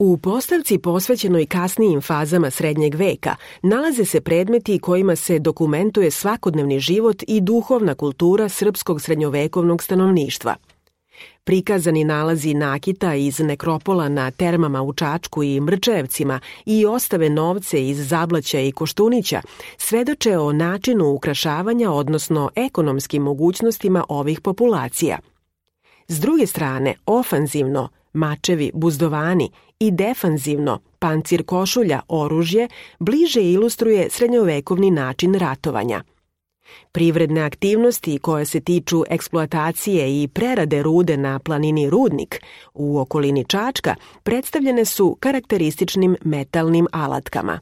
U postavci posvećenoj kasnijim fazama srednjeg veka nalaze se predmeti kojima se dokumentuje svakodnevni život i duhovna kultura srpskog srednjovekovnog stanovništva. Prikazani nalazi nakita iz nekropola na termama u Čačku i Mrčajevcima i ostave novce iz Zablaća i Koštunića svedoče o načinu ukrašavanja, odnosno ekonomskim mogućnostima ovih populacija. S druge strane, ofanzivno, mačevi, buzdovani i defanzivno, pancir košulja, oružje, bliže ilustruje srednjovekovni način ratovanja. Privredne aktivnosti koje se tiču eksploatacije i prerade rude na planini Rudnik u okolini Čačka predstavljene su karakterističnim metalnim alatkama.